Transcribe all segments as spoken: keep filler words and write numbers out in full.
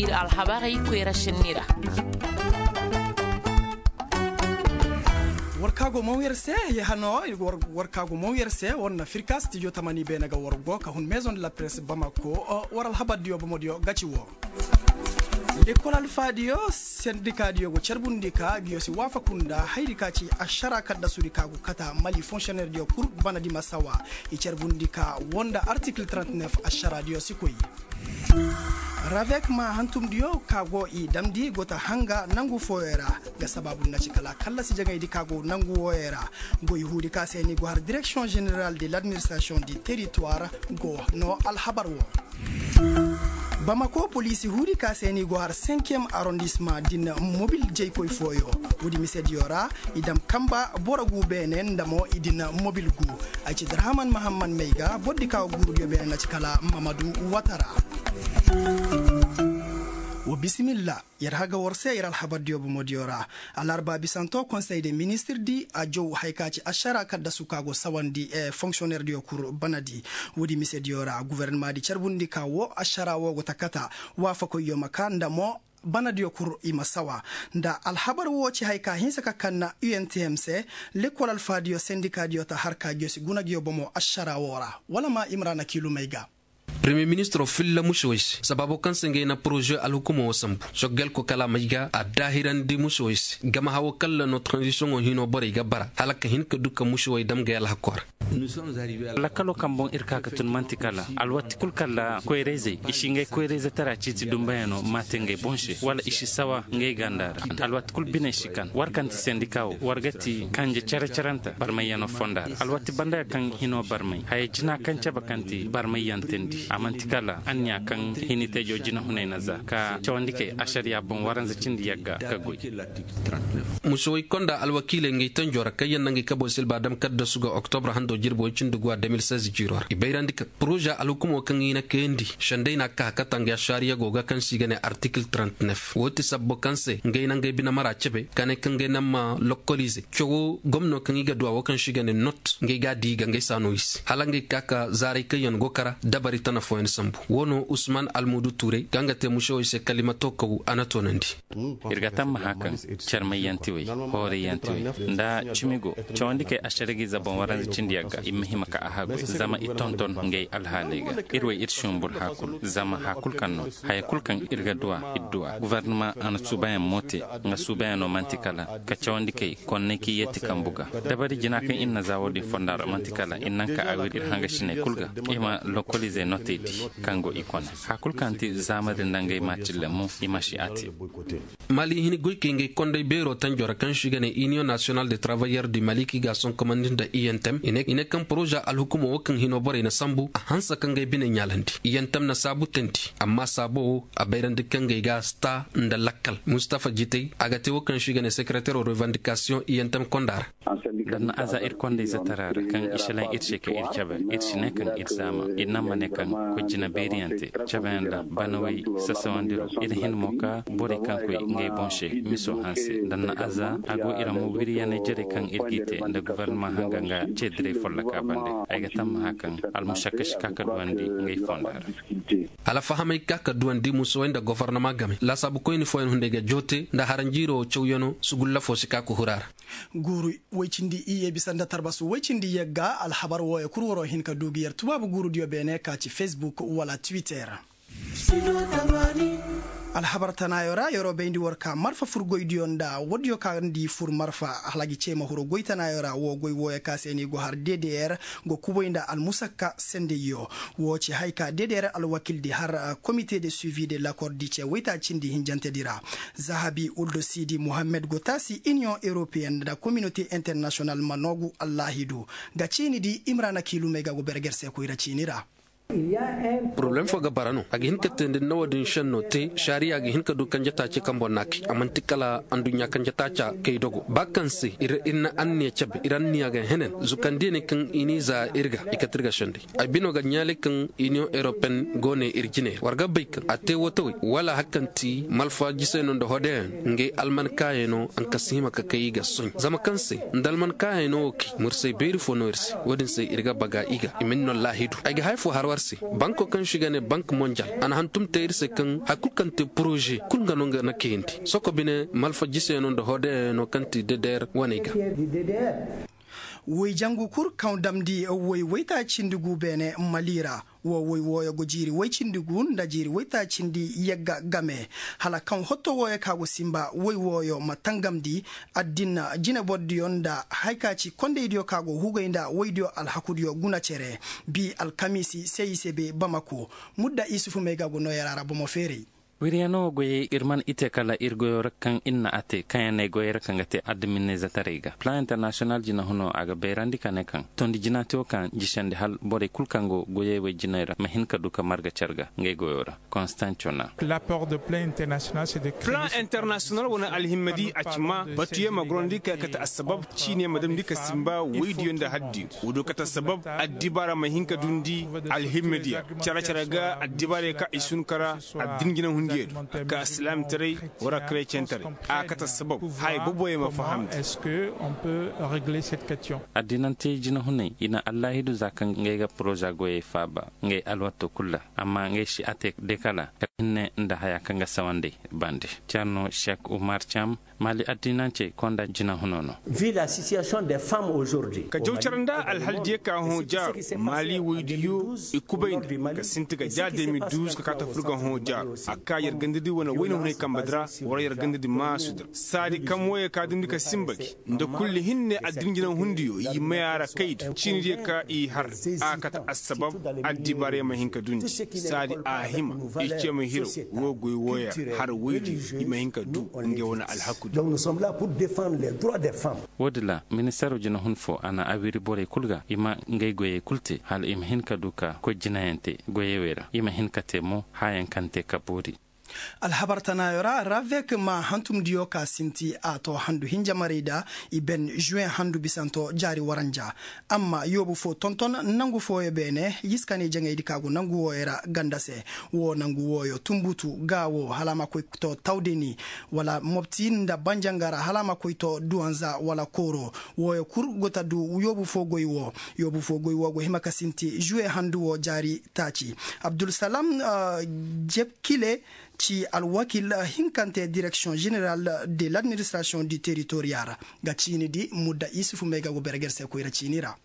Ir alhabarey koyra sinni ra. War ka go maw yer se, ya hano war ka go maw yer se war na firka stijo tamani beene ga war go ka hun maison de la presse bamako. War alhabardiyo bomodiyo gaci wo. Lekkol alfaadiyo sendikaadiyo go carbundi ka ngiyo si waafaku nda hayri ka ci ašara kaddasudi ka go kata mali fonctionnairediyo kul banadi ma sawa. I carbundi ka wo nda article trente-neuf ašaraadiyo si koy. Ravek ma hantumdiyo ka go i damndi go ta hanga nangu fooyey ra. Nga sabaabu na ci kala kallasi jaŋaydi ka go nangu wooyey ra. Goy huudi ka se ni go har direction générale de l'administration du territoire go no alhabar wo. Bamako poliisi huudi ka se ni go har cinquième arrondissement din mobil jaykoy fooyo. Woodi misediyo ra i dam kamba boro gu beene nda mo i din mobil gu. Ay ci drahaman mahamman may ga bordi ka guurudiyo beene na ci kala mamadu watara. Wa bisimilla. Yer haga war se yer alhabardiyo bomodiyo ra. Alarba bisanto konsey de ministirdi a jow hay ka ci ašara kaddasu ka go sawandi fonksionerdiyo kul banadi. Woodi misediyo ra guvernamadi carbundi ka wo ašara wo go ta kata. Waafakoyyo ma ka nda mo banadiyo kul i ma sawa. Nda alhabar wo ci hay ka hinsa ka kanna untm se. Lekkol alfaadiyo sendikaadiyo ta har ka ngiyo si guna ngiyo bomo ašara wo ra. Wala ma imrana kiilumey ga. Premier ministro filla mušewey se sabaabo kaŋ se ngey na poroze alhukumo wo sambu. Soggelko kala may ga a daahirandi mušewey se gama hawo kalla no tranzisiyoŋo hino borey ga bara hala ka hin ka du ka mušewey dam gay alhakko ra. Lakkalo kaŋ boŋ ir ka ga tun man'ti kala alwati kul kalla koyrayzey i si ngey koyrayze tara ciiti dumbayano ma te ngey boŋ se wala i si sawa ngey ganda ra. Alwati kul biney si kan war kaŋ ti sendika wo war ga ti kanje care-caranta barmayyano fonda ra alwati banda kaŋ hino barmay haya jina kaŋ cabe kaŋ ti barmayyan teendi a man'ti kala anniya kaŋ hini tejo jinahunay na za ka cawandi kay ašariya boŋ waranza cindi yagga ka goy. Mušewey konda alwakiiley ngey tanjo ra kaŋ yaŋ na ngey kabo silba dam kaddasu ga oktobra hando jirbi way cindi guwa deux mille seize jiiro ra i bayrandi kaŋ poroza alhukumo kaŋ i na kayandi sendey na ka hakata ngey ašariya go ga kaŋ se i ga ne artikil trente-neuf wo ti sabbo kaŋ se ngey na ngey bine mara cebe ka ne kaŋ ngey na ma lokkolize cawo gomno kaŋ i ga du a wo kaŋ se i ga ne not ngey ga a di i ga ngey saano i se hala ngey ka ka zaaray kaŋ yaŋ go kara dabari tana fooyaŋ sambu wo no usman almudu tuurey kaŋ ga te mušewey se kalimato kaw a na toonandi. Ir ga tammaha kaŋ carmayyantiwey hoorayyantiwey nda cimi go cawandi kay ašaragi zaban waranza cindi yagga i ma hima ka a hagu zama i tonton ngey alhaaley ga. Ir wey ir sumbur hakul zama hakul kaŋ no haya kul kaŋ ir ga duwa ir duwa guvernama a na suubayaŋ mo te nga suubayaŋo man'ti kala ka cawandi kay konney kaŋ i yeeti kambu ga dabari jina kaŋ ir na za wo-din fonda ra man'ti kala ir naŋ ka a wir ir hangasiney kul ga i ma lokoliizey notey di kaŋ go i kone hakul kaŋ ti zaama din nda ngey maacille mo i ma si a te. Mali hini goykey ngey konday beero tanjo ra kaŋ se i ga ne iniyoŋ nasiyonal de travayyer du mali kaŋ i ga a sonkomandi nda i n t m i ne kaŋ poroza alhukumo wo kaŋ hino borey na sambu a hanse ka ngey bine ɲaalandi i n t m na saabu teendi amma saabo wo a bayrandi kaŋ ngey ga a si taa nda lakkal mustafa jitey a ga te wo kaŋ se i ga ne sekeretero revandikasiyoŋ i n t m konda ra. Danna aza ir kondayze tara ra kaŋ i šelaŋ ir se ka ir cabe ir si ne kaŋ ir zaama ir naŋ ma ne kaŋ kojjina beeriyaŋ te cabeyaŋ da banawey sasawandiro ir hin mo ka borey kaŋ koy ngey boŋ se miso hanse danna aza a go ir mo wiryaney jerey kaŋ ir g'i te nda gofornama hanga nga ceediray folloka bande. Ay ga tammaha kaŋ almušakka si ka ka duwandi ngey fonda ra. Hala fahamey ka ka duwandi musowey nda gofornama game laasaabu koyni fooyaŋ hunday ga joote nda haranjiiro cawyaŋo sugulla fo si ka ka hura ra. Guuru woy cindi iyye bisa nda tarbasu woy cindi yagga alhabar wooyo kul waroo hin ka du gi yer tubaabu guurudiyo beene ka ci facebook wala twitter. Alhabar tanaayo ra yeroo bayndi war ka marfa fur goydiyo nda woodiyo ka ndi fur marfa hala gi cee ma huru goy tanaayo ra woo goy wooyo ka se ni go har d d r go kuboy nda almusakka sendeyyo. Woo ci hay ka d d r alwakildi har komite de suivi de lakordi cee woyta cindi hinjantedi ra. Zahabi uldo sidi mohammed go taasi iniyoŋ europeyen nda kominote internasiyonal ma noogu allaahidu. Ga ciini di imrana kiilumey ga go berger se koyra ciini ra. Poroblem fo ga bara no a ga hin ka teendi nda woodin šenno te šariya ga hin ka du kanje taaci kambo naaki a man'ti kala anduɲɲa kanje taaca kay dogo ba kaŋ se ir na anniya cabe ir anniya ga henen zukandiyaney kaŋ i n'i za ir ga i kate ir ga šenday. Ay bino ga ɲaalay kaŋ iniyoŋ europeyen go ne ir jine ra war ga bay kaŋ a te wootawey wala hari kaŋ ti malfa jisey no nda hodeyaŋ ngey alman kaayey no haŋ kaŋ si hima ka kay i ga soɲ zama kaŋ se nda alman kaayey no wo kay mursay beeri fo no ir se. Woodin se ir ga baga i ga i ma ni no laahidu ay ga haya fo har. Banko kaŋ se i ga ne bank monjal a na hantum te ir se kaŋ hari kulu kaŋ te poroze kulu nga no nga na kayandi soko bine malfa jiseyaŋo nda hoodayyaŋo kaŋ ti deder waney ga. Woy jangu kul kaŋ damndi woy woytaaci cindi gu beene mali ra. Wo woy wooyo go jiiri woy cindi gu nda jiiri woytaaci cindi yagga game hala kaŋ hotto wooyo ka go sinba woy wooyo ma tangamndi addina jinebordiyo nda hari ka ci kondaydiyo ka go hugay nda woydiyo alhakudiyo guna cere. Bi alkamiisi se i se be bamako. Mudda isufu may ga go nooyara ra bomo feeray. Wiriyano goyey ir man i te kala ir goyo ra kaŋ ir na a te kaŋ ya ne goyey ra kaŋ ga te adminizataray ga plan international jinahuno a ga bayrandi ka ne kaŋ tondi jinaate wo kaŋ jisandi hal borey kul kaŋ go goyey wey jinay ra ma hin ka du ka marga car ga ngey goyo ra. Konstanciona. Plan international wane alhimmadi a ci ma batuyaŋ ma gorandi ka kate assabab ciine ma damndi ka sinba woydiyo nda haddiyo. Woodiyo kate assabab addibaara ma hin ka dundi alhimmadiya care care ga addibaarey ka i sun kara addin jinahundiyo do ka silaamtaray wara karecenteray a kate assabab haya boboyaŋ ma fahamndi. Addinante jinahuney i na allaahidu za kaŋ ngey ga poroza goyey faaba ngey alwatto kul ra. Amma ngey si a te dekala ka hinne nda haya kaŋ ga sawandey bande. Cerno sek umar cam mali addinancey konda jinahuno no. Ka jaw care nda alhaldiyo ka hõ jaaru mali woydiyo i kubay nda ka sinti ga ja deux mille douze ka kaa ta fur ga hõ jaaru a kaa yer gandadi wane wayna hunay kambadi ra. War yer gandadi maasudi ra saadi kaŋ wooyo ka dundi ka sinba gi nda kulli hinne addin jinahundiyo i maya ra kaydu ciinidiyo ka i har a kate assabab addibaarey ma hin ka dundi. Saadi a hima i ce ma hiro woo goy wooyo ra har woydiyo i ma hin ka du ngey wane alhakudiyo. Woodin ra ministeero jinahun fo a na a wiri borey kul ga i ma ngey goyey kul te hala i ma hin ka du ka koy jinayaŋ te goyey wey ra i ma hin ka te mo hayaŋ kaŋ te ka boori. Alhabar tanaayo ra ravek ma hantumdiyo ka sinti a to handu hinja marayda i ben juwen handu bisanto jaari waranja. Amma yoobu fo tonton nangu fooyo beene yiskani jaŋaydi ka go nangu wooyo ra ganda se. Wo nangu wooyo tunbutu ga wo hala a ma koy to tawdeni wala mobti nda banjanga ra hala a ma koy to duwanza wala kooro. Wooyo kul go ta du yoobu fo goy wo. Yoobu fo goy wo go hima ka sinti juwen handu wo jaari taaci. Abdulsalam jebkile ci alwakil hinkante direksiyoŋ jeneral de ladministrasiyoŋ di teritoriya ra ga ciini di mudda isufu may ga go berger se koyra ciini ra.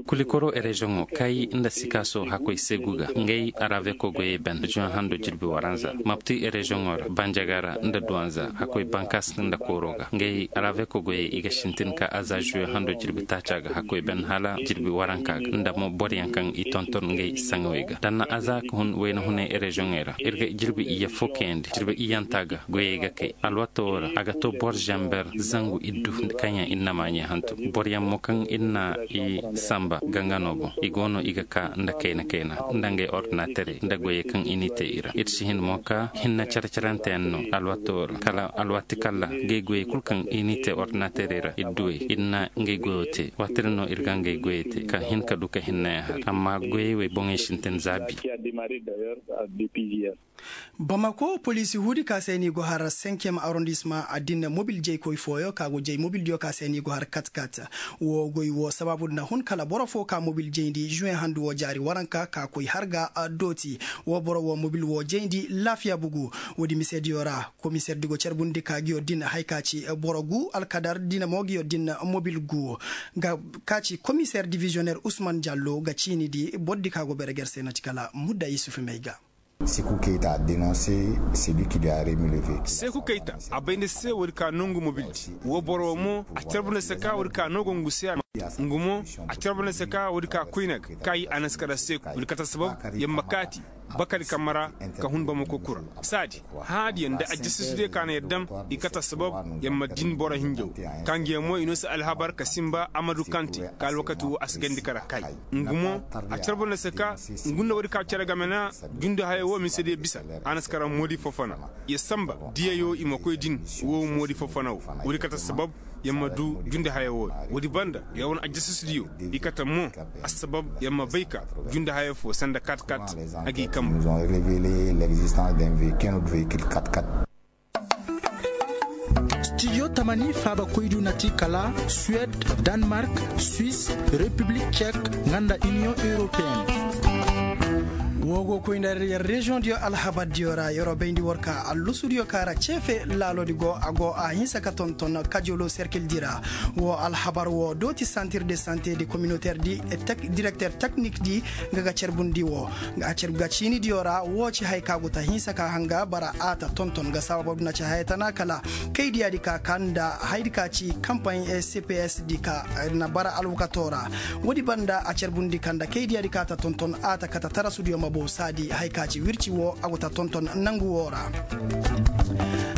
Kulikoro ereziyoŋo kay nda sikaaso hakkoy seegu ga ngey araveko goyey ben reziyoŋ hando jirbi waranza mapti ereziyoŋo ra banjaga ra nda duwanza hakkoy bankas nda kooro ga ngey araveko goyey i ga sintin ka aza ziyo hando jirbi taaca ga hakkoy ben hala jirbi waranka ga nda mo boryaŋ kaŋ i tonton ngey saŋawey ga danna aza ka hun wayna hunay ereziyoŋey ra ir ga jirbi iyye fo kayandi jirbi iyyanta ga goyey ga kay alwato wo ra a ga to bor zamber zangu iddu kaŋ yaŋ ir na maaɲey hantum boryaŋ mo kaŋ ir na i samba gangano boŋ i go no i ga ka nda kayna kayna nda ngey ordinaterey nda goyey kaŋ i n'i te i ra ir si hin mo ka hinne care caranteyaŋ no alwato wo ra kala alwaati kalla gay goyey kulu kaŋ i n'i te ordinaterey ra ir duwey ir na ngey goyo te waati din no ir ga ngey goyey te ka hin ka du ka hinneyaŋ har amma goyey wey boŋey sintin zaabi. Bamako poliisi huudi ka se ni go har senkiyem arondisma a din mobil jaykoy fooyo ka go jay mobildiyo ka se ni go har kat kat. Wo goy wo sabaabu nda hun kala boro fo ka mobil jayndi juwen handu wo jaari waranka ka koy har ga dooti. Wo boro wo mobil wo jayndi laafiya bugu. Woodi misediyo ra komiserdi go carbundi ka giyo din hay ka ci boro gu alkadar dina mo giyo din mobil gu. Ka ci komiser divisioner usman jallo ga ciini di bordi ka go bereger se na ci kala mudda yusuf may ga. Seku kayta a bay nda se woodi ka nongu mobildi wo boro wo mo a carbu nda se ka woodi ka nongu ngu se a ngu mo a carbu nda se ka woodi ka koyna ga ka i a na si kala seku woodi kata sabab yer ma kaati bakali kamara ka hun bamako kura saadi haadiyaŋ nda ajjasisudiyo ka na yer dam i kata sabab yer ma din boro hinjaw ka ngiyaŋ mo i no si alhabar ka sinba amadu kante ka alwakati wo a si gandi kara kay ngu mo a carbu nda se ka ngu nda woodi ka cere game na jundi hayo wo mise diyo bisa a na si kara moodi fofona yer sanba diyayo i ma koy din wo moodi fofona wo woodi kata sabab yer ma du jundi hayo wo woodi banda yer wane ajjasisudiyo i kata mo assabab yer ma bay ka jundi hayo fo sanda kat kat a g'i kambu. Studio tamani faabakoydu na ti kala suwed, danmark, swis, repiblik cek, nga nda iniyoŋ europeen. Woo go koy nda yer reziyoŋ diyo alhabar diyo ra yeroo bayndi war ka allusu diyo ka ra ceefe laalo di go a go a hinsa ka tonton kajolo serkil di ra. Woo alhabar woo dooti santir de sante de kominoter di direkter teknik di nga ga carbundi woo. Nga a carbu ga ciini diyo ra woo ci haya ka go ta hinsa ka hanga bara a ta tonton ga sabab du na ci haya tana kala kaydiya di ka ka nda hayadi ka ci kampaaɲ cps di ka na bara alwakato ra. Woodi banda a carbundi ka nda kaydiya di ka ta tonton a ta kata tarasu diyo ma bow saadi haya ka ci wirci woo a go ta tonton nangu woo ra.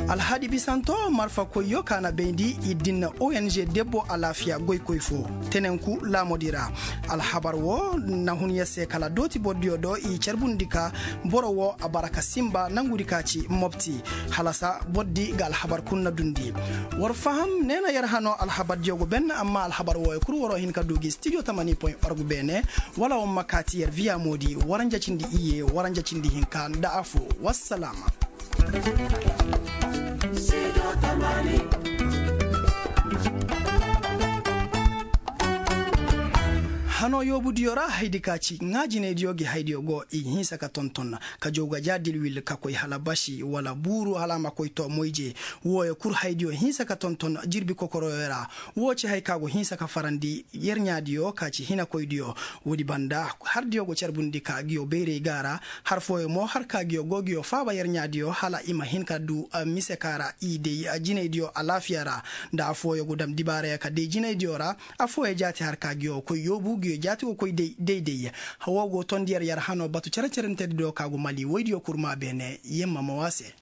Alhadi bisanto marfa koyyo ka na bayndi i din na ong debbo alaafiya goykoy fo tenenku laamodi ra. Alhabar woo na hun yer se kala dooti bordiyo do i carbundi ka boro woo a bara ka sinba nangudi ka ci mopti. Halasa bordi ga alhabar kul na dundi. War faham nee na yer hanoo alhabar diyo go ben amma alhabar wooyo kul waroo hin ka du gi studio tamani point org beene. Wala war ma kaa ti yer viya moodi waranja cindi iyye waranja cindi hinka nda afo. Wassalaama. Hanoo yoobudiyo ra hayadi ka ci ŋaajinaydiyo gi hayadiyo go i hinsa ka tonton ka jow ga ja dilwil ka koy hala basi wala buuru hala a ma koy too moyje. Wooyo kul hayadiyo hinsa ka tonton jirbi kokoroyo ra. Woo ci haya ka go hinsa ka farandi yerɲaadiyo ka ci hinakoydiyo. Woodi banda hardiyo go carbundi ka ngiyo bayray ga ra. Har fooyo mo har ka ngiyo go ngiyo faaba yerɲaadiyo hala i ma hin ka du mise ka ra i day jinaydiyo alaafiya ra. Nda affooyo go dam dibaarayo ka day jinaydiyo ra. Affooyo jaati har ka ngiyo koy yoobu ngiyo jaati go koy day day day. Woo go tondi yer yer hanoo batu cere-cerentedi do ka go mali woydiyo kurmaa beene yemma ma woo a se.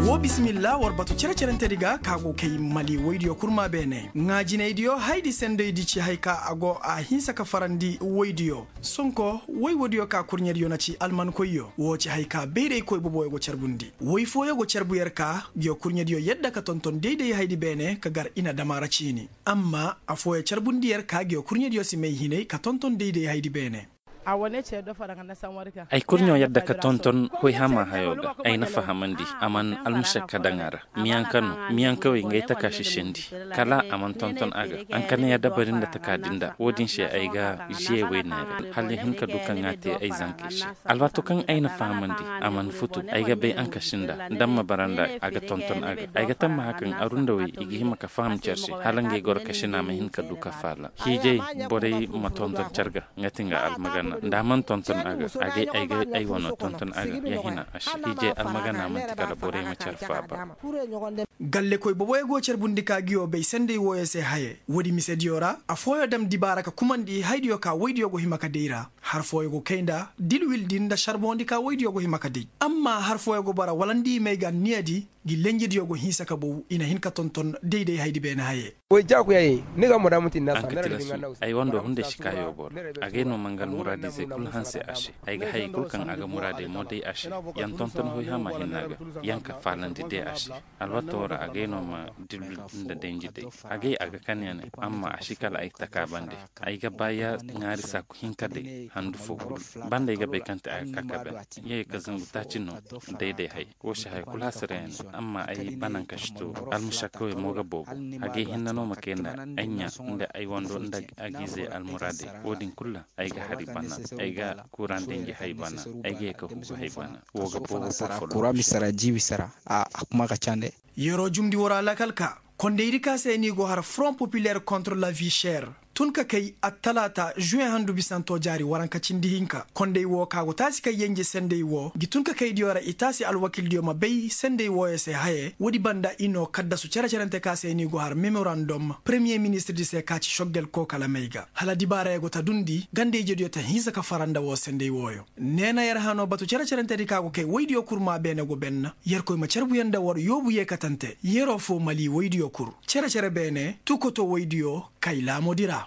Woo bisimilla war batu cere-cerentedi ga ka go kay mali woydiyo kurmaa beene ŋaajinaydiyo hayadi sendaydi ci hay ka a go a hinsa ka farandi woydiyo. Sonko woy woodiyo ka kurɲediyo na ci almankoyyo woo ci hay ka bayraykoy boboyo go carbundi woy fooyo go carbu yer ka ngiyo kurɲediyo yadda ka tonton dayday hayadi beene ka gar i na dam a ra ciini. Amma affooyo carbundi yer ka ngiyo kurɲediyo si may hinay ka tonton dayday hayadi beene. Ay kurɲo yadda ka tonton hoyhama hayo ga ay na fahamandi a man almušakka daŋ a ra. Miyaŋ ka no miyaŋ kawey ngay taka sisindi kala a man tonton a ga. Ankana ya dabari nda taka din da wo-din se ay ga žiyey wayne ra hala ya hin ka du kaŋ a te ay zankey se. Alwaato kaŋ ay na fahamandi a man futu ay ga bay ankaši nda nda ma bara nda a ga tonton a ga. Ay ga tammaha kaŋ arundawey i ga hima ka faham cer se hala ngey goro kasina ma hin ka du ka faala. Hiijay borey ma tonton cer ga. Nga ti nga almagana nda a man tonton a ga a ga ay ga ay wano tonton a ga ya hina a si hiijay almagana manti kala borey ma cer faaba. Gallekoy boboyo go carbundi ka ngiyo bay sendey wooyo se haye woodi misediyo ra affooyo dam dibaara ka kumandi hayadiyo ka woydiyo go hima ka day ra. Har fooyo go kay nda dilwil din nda sarbondi ka woydiyo go hima ka day. Amma har fooyo go bara wala nda i may ga anniyadi ngi lenjidiyo go hinsa ka bow i na hin ka tonton dayday hayadi beene haye. Ay wando hunday si ka yoobo ra. Agay no ma nga almuraadizey kul hanse a se. Ay ga hayey kul kaŋ a ga muraadey mo day a se. Yaŋ tonton hoyhama hinna ga yaŋ ka faalandi day a se. Alwaato ra agay no ma dilbi nda denji day. Agay a ga kan ya ne amma a si kala ay taka bande. Ay ga ba ya ŋaari saaku hinka day handu fo kul. Banda ay ga bay kaŋ te a ga ka ka ben. Yee ka zangu taaci no. Day day hay. Wo si haya kul hasara ya ne amma ay banaŋ ka si to. Almušakkawey mo ga boobo. Agay hinna no ma kay nda ay ɲa nda ay wando nda agiizey almuraadey. Wo-din kul ra ay ga hari bana. Ay ga kuuraŋ denji hay bana. Ay ga ye ka hugu hay bana. Wo ga boobo boro fo. Kuuraŋ mi sara jiibi sara. A kuma ka cande. Yeroo jumndi woo ra lakkal ka kondaydi ka se ni go har front populer contre la vie cher. Tun ka kay attalaata žuwen handu bisanto jaari waranka cindi hinka konday woo ka go taasi kay yenje senday woo ngi tun ka kaydiyo ra i taasi alwakildiyo ma bay senday wooyo se haye woodi banda i noo kaddasu cere-cerante ka se ni go har memorandom premiye ministirdi se ka ci soggel koo kala may ga hala dibaarayo go ta dundi ganda-ijediyo ta hinsa ka fara nda woo senday wooyo. Ne na yer hanoo batu cere-cerentedi ka go kay woydiyo kur maa beene go benna yerkoy ma carbuyaŋ nda war yoobu yeekatante yeroo foo mali woydiyo kur cere-cere beene tukoto woydiyo kay laamodi ra.